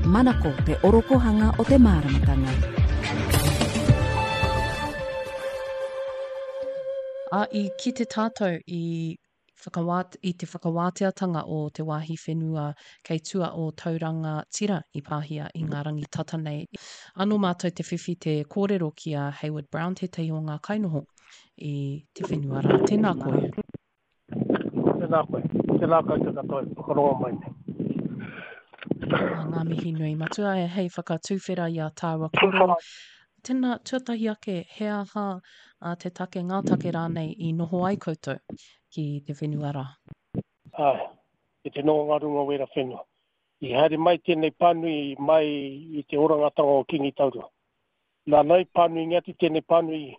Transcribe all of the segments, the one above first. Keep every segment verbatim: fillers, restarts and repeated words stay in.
Manako te orokohanga o te māramatanga. A i kite tātou i whakawā, i te whakawāteatanga o te wāhi whenua kei tua o Tauranga Tira i pāhia i ngā rangi tata nei. Anō mātou te whiwhi te kōrero ki a Hayward Brown, tētahi o ngā kainoho i te whenua rā. Tēnā koe. Tēnā koe. Tēnā koutou katoa e whakarongo mai nei. Ā, ngā mihi nui matua e hei whakatūwhera i a tāua kōrero. Tēnā, tuatahi ake, he aha a te take, ngā take rānei i noho ai koutou ki te whenua rā? Āe, i te noho ngā runga wera whenua. I haere mai tēnei pānui mai i te orangatanga o Kingi Taurua. Nāna i pānuingia atu tēnei pānui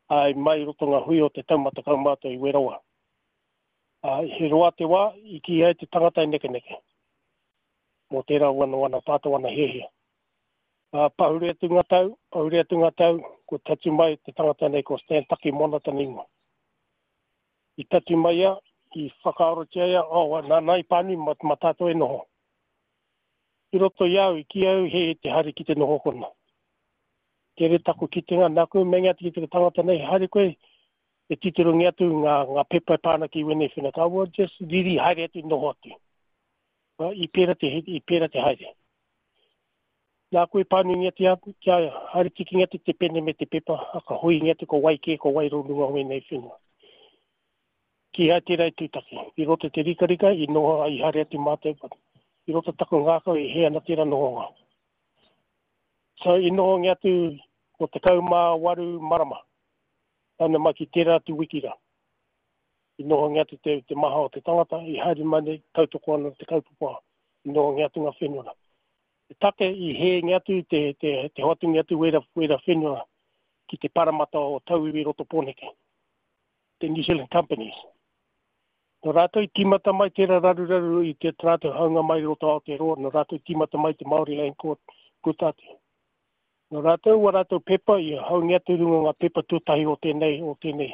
ā, mai i roto ngā hui o te taumata kaumātua i Werawa. Ā, he roa te wā i kī ai te tangata e nekeneke mō tērā wana wana tātou wana hiahia. Ā, pahure atu ngā tau, pahure atu ngā tau, kua tatū mai te tangata nei ko Stan Takimoana tana ingoa. I tatū mai ia, i whakaarotia ia, oh, nāna i pānui ma, ma tātou e noho. I roto i au, i kī au he te haere ki te noho kona. Tere taku kitenga, nāku meinga atu ki te tangata nei, haere koe, e titirongi atu ngā, ngā pepa e pā ana ki wēnei whenua. Ka ua, just riri haere atu, noho atu. I pērā te, i pērā te haere. Nā koe pānuingia te atu, kia haere tikingia atu te pene me te pepa, a ka huingia atu ko wai kē, ko wai rō runga o wēnei whenua. Kīhai tērā i tūtaki. I roto te rikarika, i noho, i haere atu mātou, but i roto taku ngākau e hē ana tērā nohonga. So, i nohongia atu ko tekau mā waru marama. Tana mai ki tērā atu wiki rā. I nohongia atu te, te maha o te tangata, i haere mai nei, tautoko ana te kaupapa, i nohongia atu ngā whenua rā. Te take i hēngia atu te, te, te hoatungia atu wera, wera whenua ki te paramata o tauiwi roto Pōneke, te New Zealand Companies. Nō rātou i tīmata mai tērā raruraru i te rātou haunga mai roto Aotearoa, nō rātou i tīmata mai te Māori Land Court puta atu. Nō rātou wa rātou pepa i haungia atu runga ngā pepa tuatahi o tēnei, o tēnei,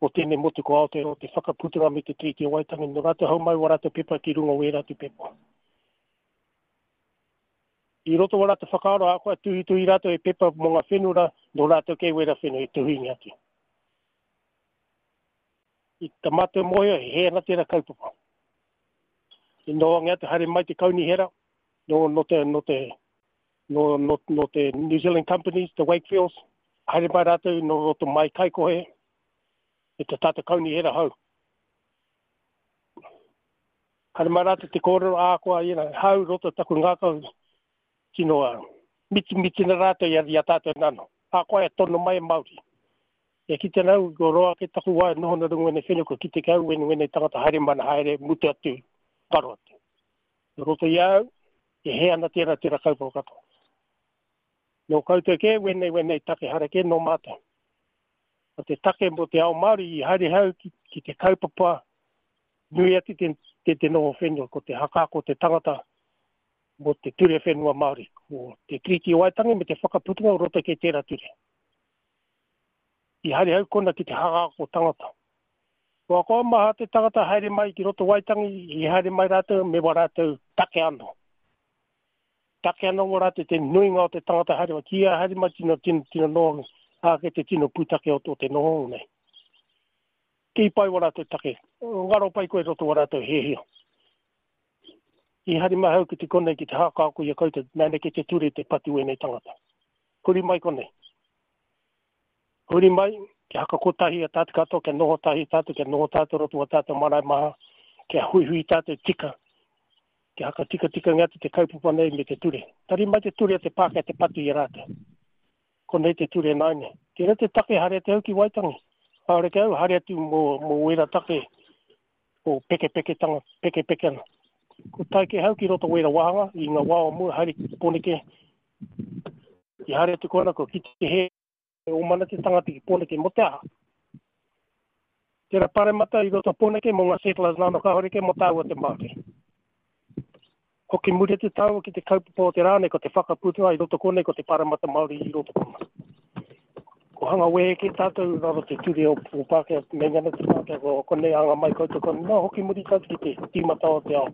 o tēnei motu ko Aotearoa, te whakaputanga me te Tiriti o Waitangi. Nō rātou hau mai wa rātou pepa ki runga o ērā atu pepa. I roto wa rātou whakaaro, a koe tuhituhi rātou e pepa mō ngā whenua rā, nō rātou kei wera whenua i tuhingi atu. I ta mātou mōhio, he hē ana tērā kaupapa. I nohongia atu haere mai te kaunihera, nō, nō te, nō te, nō, nō, nō te New Zealand Companies, te Wakefields, haere mai rātou nō roto mai Kaikohe, e te tātou kaunihera hau. Haere mai rātou te kōrero, ā koa, you know, hau roto taku ngākau, tino, uh, miti, miti na rātou i a, i a tātou nano. Ā koa e tono mai e Māori. E kite nau, ko roa ke taku wā, noho na runga wene whenua, ko kite kau wene wene tangata haere mana haere, mutu atu, karo atu. Nō roto i au, e hē ana tērā tērā kaupapa katoa. Nō koutou kē, wene wene take hara kē nō mātou. Ko te take mō te ao Māori i haere hau ki, ki te kaupapa nui atu te, te, te noho whenua, ko te hakako te tangata mō te ture whenua Māori, ko te Tiriti o Waitangi me te whakaputunga o roto kei tērā ture. I haere hau kona ki te hakako tangata. Kua koa maha te tangata haere mai ki roto Waitangi, i haere mai rātou me wā rātou take anō. Take anō wā rātou te nuinga o te tangata haere mai, kia haere mai tino, tino, tino noho, āke te tino pūtake o, o te noho nei. Ki pai wā rātou take, ngaro pai koe roto wā rātou hēhia. I haere mai hau ki te konei ki te hākāko i a koutou, nāne ke te ture te patu wēnei tangata. Huri mai konei. Huri mai, kia hakakotahi a tātou katoa, kia noho tahi tātou, kia noho tātou roto wa tātou marae maha, kia huihui tātou tika, kia hakatikatika ngā te kaupapa nei me te ture. Tari mai te ture a te Pākehā te patu i a rātou. Konei te ture nāine. Tērā te take haere te au ki Waitangi. Haere ke au, haere atu mō, mō wera take o pekepeketanga, pekepekena. Ko tae ke hau ki roto wera wāhanga, i ngā wā o mua, haere ki Pōneke. I haere atu kona, ko ki te he o mana te tangata ki Pōneke mō te aha. Tērā paremata i roto Pōneke mō ngā settlers nāno kāhore ke mō tāua te Māori. Hoki muri te tāua ki te kaupapa o te rā nei, ko te whakaputunga i roto konei, ko te paremata Māori i roto kona. Ko hanga wehe ke tātou raro te ture o, o Pākehā, meinga ana te Pākehā, ko konei anga mai koutou konei. Nā, hoki muri tātou ki te tīmata o te ao.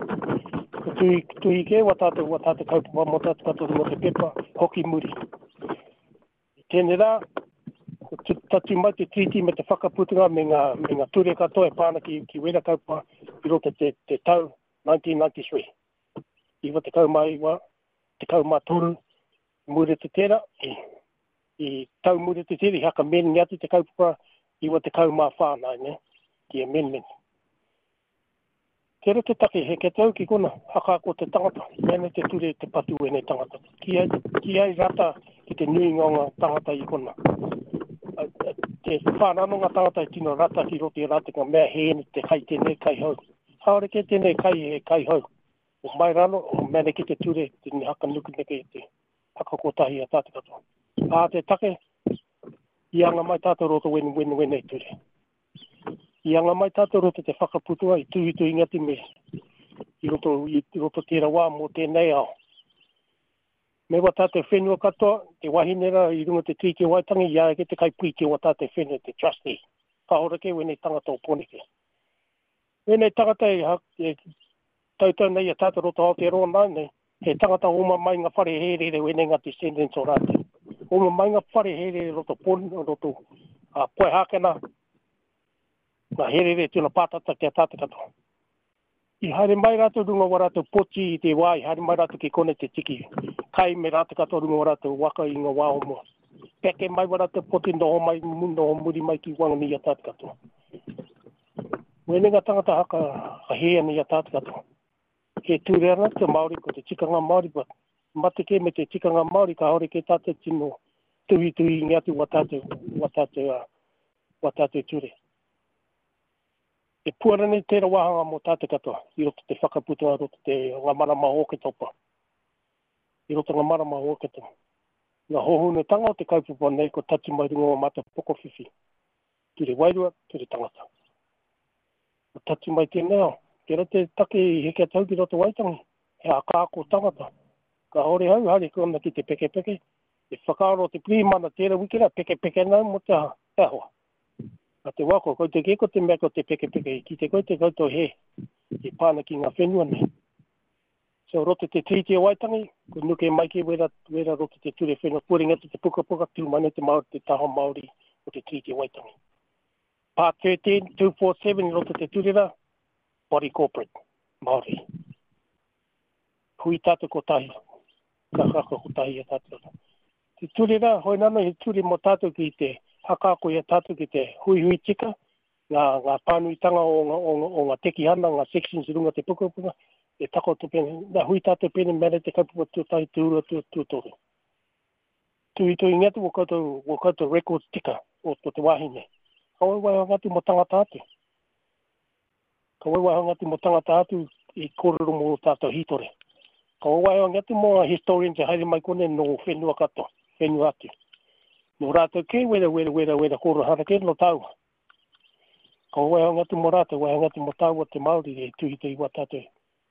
Ko tuhi, tuhi kē wa tātou, wa tātou kaupapa mō tātou katoa runga te pepa, hoki muri. I tēnei rā, ko tatu mai te tiriti me te whakaputunga me ngā, me ngā ture katoa e pā ana ki, ki wera kaupapa i roto te, te tau nineteen ninety-three. Iwa tekau mā iwa, tekau mā toru, muri te tērā, i, i tau muri te tērā, i hakamēngi atu te kaupapa iwa tekau mā whā nai, ne, ki amendment. Tērā te take, he ke tau ki kona, hakako te tangata, mene te ture te patu wene tangata. Ki ai, ki ai rata ki te nuinga o ngā tangata i kona. Te whānano ngā tangata i tino rata ki roto i rata ngā mea he te kai tēnei kai hau. Haore ke tēnei kai he kai hau. O mai rano, o mene ki te ture, te haka nuku neke te hakakotahi a tātou katoa. Ā te take, i anga mai tātou roto wene wene wene ture. I anga mai tātou roto te whakaputua i tuhituhi ngati me i roto, i roto tērā wā mō tēnei ao. Me wa tātou whenua katoa, te wahine rā i runga te Tiriti o Waitangi, i a ke te kaipūti o wa tātou whenua, te trustee. Ka hora ke wene tangata o Pōneke. Wene tangata e, e tautau nei a tātou roto Aotearoa nā nei, he tangata oma mai ngā whare hērere wene ngā descendants o rātou. Oma mai ngā whare hērere roto Pōneke, roto uh, Poihākena, ngā hērere tuna pātata ki a tātou katoa. I haere mai rātou runga wa rātou poti i te wā, i haere mai rātou ki kone te tiki. Kai me rātou katoa runga wa rātou waka i ngā wā o mua. Peke mai wa rātou poti noho mai, noho muri mai ki Wanganui i a tātou katoa. Wene ngā tangata haka hē ana i a tātou katoa. He ture ana te Māori, ko te tikanga Māori, but mate ke me te tikanga Māori, ka hore ke tātou tino tuhituhi ngi atu wa tātou, wa tātou, wa tātou ture. E puara nei tērā wāhanga mō tātou katoa, i roto te whakaputunga, roto te ngā marama o Oketopa. I roto ngā marama o Oketopa. Ngā hohunetanga o te kaupapa nei ko tatu mai runga o mātou pokowhiwhi. Ture wairua, ture tangata. Ko tatu mai tēnei ao. Tērā te take i heke tau ki roto Waitangi. He akaako tangata. Ka hore hau, haere kona ki te pekepeke. Te whakaaro te pirihimana tērā wiki rā, pekepeke nau mō te aha, te ahoa. A te wako, ko te keko te mea ko te pekepeke, ki te koe te koutou he, i pāna ki ngā whenua nei. So roto te Tiriti o Waitangi, ko nuke mai ki wera, wera roto te ture whenua, puringa te pukapuka, tūmane te Māori, te taha Māori o te Tiriti o Waitangi. Part thirteen, two four seven, roto te ture rā, body corporate, Māori. Hui tātou kotahi, ka haka kotahi a tātou. Te ture rā, hoi nana he ture mō tātou ki te hakako i a tātou ki te huihui tika, ngā, ngā pānuitanga o ngā, o ngā, o ngā tekihana, ngā sections i runga te pukapuka, e takoto pene, nā hui tātou pene mere te kaupapa tuatahi, tūrua, tūtoru. Tuhituhi ngatu o koutou, o koutou records tika o, o te wāhi nei. Ka waiwai ngatu mō tangata atu. Ka waiwai ngatu mō tangata atu i kōrero mō tātou hītore. Ka waiwai ngatu mō ngā historians e haere mai kone no whenua katoa, whenua atu. Nō rātou ke, wera, wera, wera, wera, kōrero harakere no tāua. Ka waiwai ngatu mō rātou, waiwai ngatu mō tāua te Māori e tuhituhi wā tātou.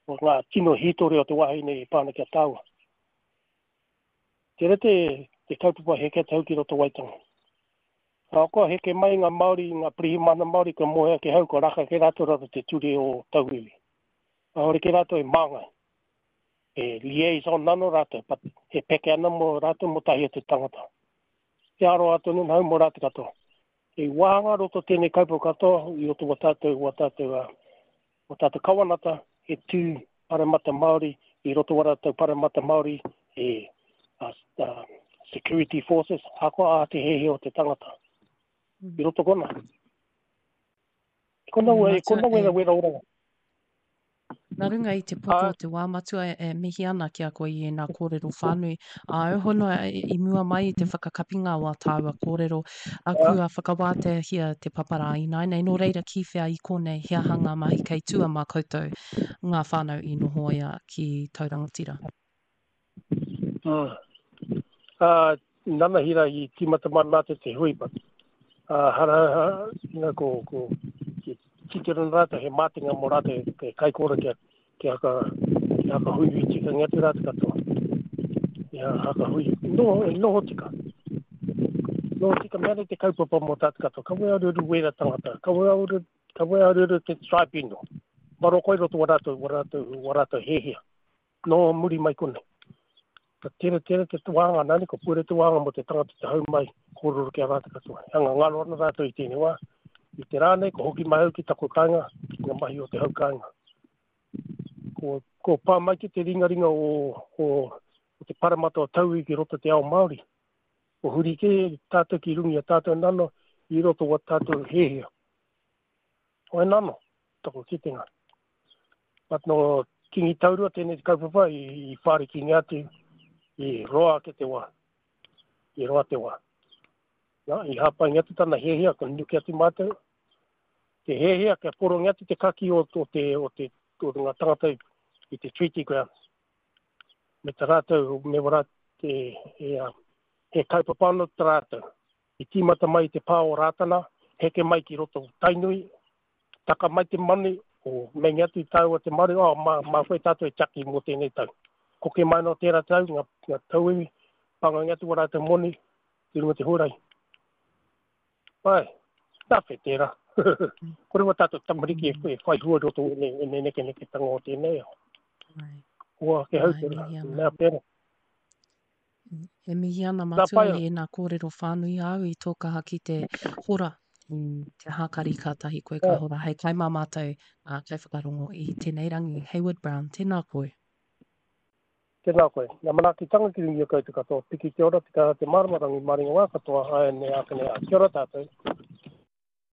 O ngā tino hītore o te wāhi nei e pāna ki a tāua. Tērā te, te kaupapa heke tau ki roto Waitangi. Ahakoa heke mai ngā Māori, ngā pirihimana Māori ka moea ke hau, ka raka ke rātou rātou te ture o tauiwi. Kāore ke rātou e māngai. E liaison nano rātou, but he peke ana mō rātou mō tahi o te tangata. Te aroha tonu nau mō rātou katoa. E wāhanga roto tēnei kaupapa katoa i roto wa tātou, wa tātou, wa tātou kawanata, he tū paremata Māori, i roto wa rātou paremata Māori, e uh, uh, security forces, ahakoa a te hehe o te tangata. I roto kona. Kona Mm, e kona matua, wera e wera oranga. Nā runga i te poto o te wā matua e, e mihi ana ki a koe i ēnā kōrero whānui. Āu hono e, i mua mai i te whakakapinga o a tāua kōrero, a kua whakawāteahia te paparā ināianei. Nō reira ki whea i konei, he aha ngā mahi kei tua mā koutou ngā whānau i nohoia ki Taurangatira? Mm. Uh, nanahira i tīmata mai mātou te hui, but uh, hara, hara, you know, ko, ko, ki titiro rātou, he mātenga mō rātou, he kaikōra kia, kia haka, kia haka hui hui tika ngi atu rātou katoa. Kia haka hui, noho, noho tika. Noho tika mea nei te kaupapa mō tātou katoa. Ka wea ruru wera tangata, ka wea ruru, ka wea ruru te tribunal. Maro koe roto wa rātou, wa rātou, wa rātou hehia. Nō muri mai konei. Ka tere tere te wānga nani, ko pure te wānga mo te tangata te hau mai, kōrero ki a rātou katoa. Hanga ngaro ana rātou i tēnei wā. I te rā nei, ko hoki mai au ki taku kāinga, ki ngā mahi o te hau kāinga. Ko, ko pā mai ki te ringaringa o, o, o te paramata o tauiwi ki roto te ao Māori. Ko huri kē tātou ki runga i a tātou nano i roto wa tātou hēhea. Hoi nano, taku kitenga. But no Kingi Taurua tēnei kaupapa i, i whārikingia atu i roa ake te wā. I roa te wā. Na, i hāpaingia atu tana hiahia, ka nuke atu mātou. Te hiahia kia porongia atu te kaki o, o te, o te, o ngā tangata i, i te treaty grounds. Me ta rātou, me wa rātou, e, e, he kaupapa anō ta rātou. I tīmata mai i te pā o Rātana, heke mai ki roto o Tainui, taka mai te manu, o meinga atu i tāua te maru, oh, mā, mā koe tātou e tiaki mō tēnei tau. Koke mai nō tērā tau, ngā, ngā tauiwi, pangangi atu wa rātou moni, ki runga te huarahi. Pai, tāwhe tērā. Kore wa tātou tamariki e, e whai hua roto i ēnei nekeneketanga o tēnei ao. Kua ake hau tērā, mea pērā. E mihi ana matua i ēnā kōrero whānui āu i tō kaha ki te hora i te hākari kātahi koe ka hora hei kai mā mātou ngā kaiwhakarongo i tēnei rangi. Hayward Brown, tēnā koe. Tēnā koe. Ngā manaakitanga ki runga i a koutou katoa. Piki te ora, te kaha, te mārama, rangi, maringa wā katoa, āianei, ākene, ā. Kia ora tātou.